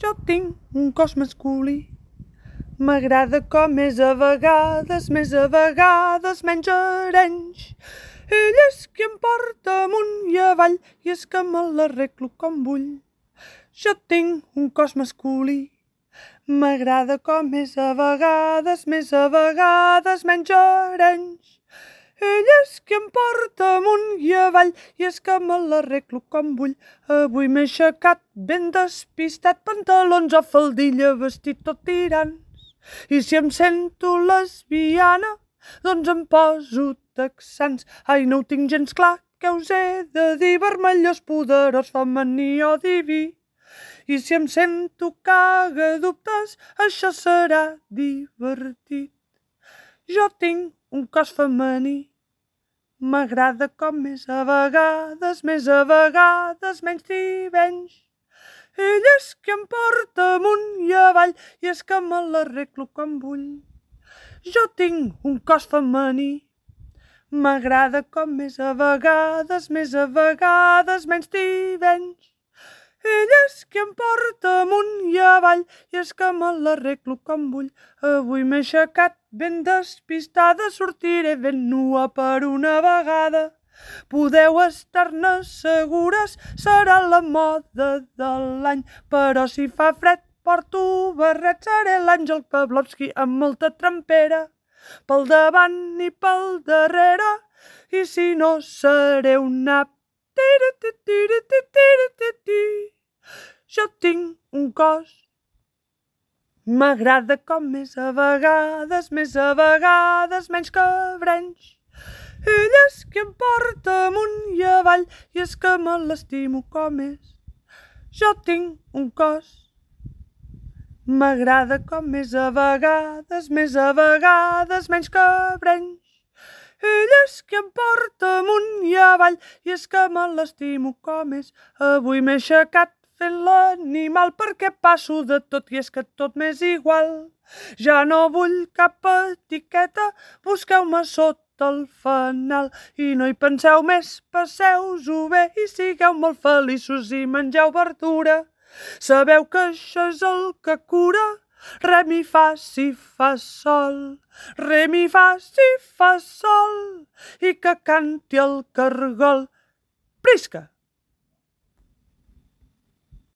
Jo tinc un cos masculí. M'agrada com és a vegades, més a vegades menys arenys. Ell és qui em porta amunt i avall i és que me l'arreglo com vull. Jo tinc un cos masculí. M'agrada com és a vegades, més a vegades menys arenys. Ell és qui em porta amunt i avall i és que me l'arreglo com vull. Avui m'he aixecat ben despistat, pantalons o faldilla, vestit tot tirants. I si em sento lesbiana, doncs em poso texans. Ai, no ho tinc gens clar, què us he de dir? Vermellós, poderós, femení o diví. I si em sento cagadubtes, això serà divertit. Jo tinc un cos femení. M'agrada com és a vegades, més a vegades menys tivenys. Ell és qui em porta amunt i avall i és que me l'arreglo com vull. Jo tinc un cos femení. M'agrada com és a vegades, més a vegades menys tivenys. Ell és qui em porta amunt i avall i és que me l'arreglo com vull. Avui m'he aixecat ben despistada, sortiré ben nua per una vegada. Podeu estar-ne segures, serà la moda de l'any. Però si fa fred porto barret, seré l'Àngel Pavlovski amb molta trempera. Pel davant i pel darrere, i si no seré un nap. Jo tinc un cos. M'agrada com és a vegades, més a vegades menys cabrenys. Ell és qui em porta amunt i avall i és que me l'estimo com és. Jo tinc un cos. M'agrada com és a vegades, més a vegades menys cabrenys. Ell és qui em porta amunt i avall i és que me l'estimo com és. Avui m'he aixecat fent l'animal perquè passo de tot i és que tot m'és igual. Ja no vull cap etiqueta, busqueu-me sota el fanal i no hi penseu més, passeu-us-ho bé i sigueu molt feliços i mengeu verdura. Sabeu que això és el que cura? Re, mi, fa, si, fa, sol. Re, mi, fa, si, fa, sol. I que canti el cargol. Prisca!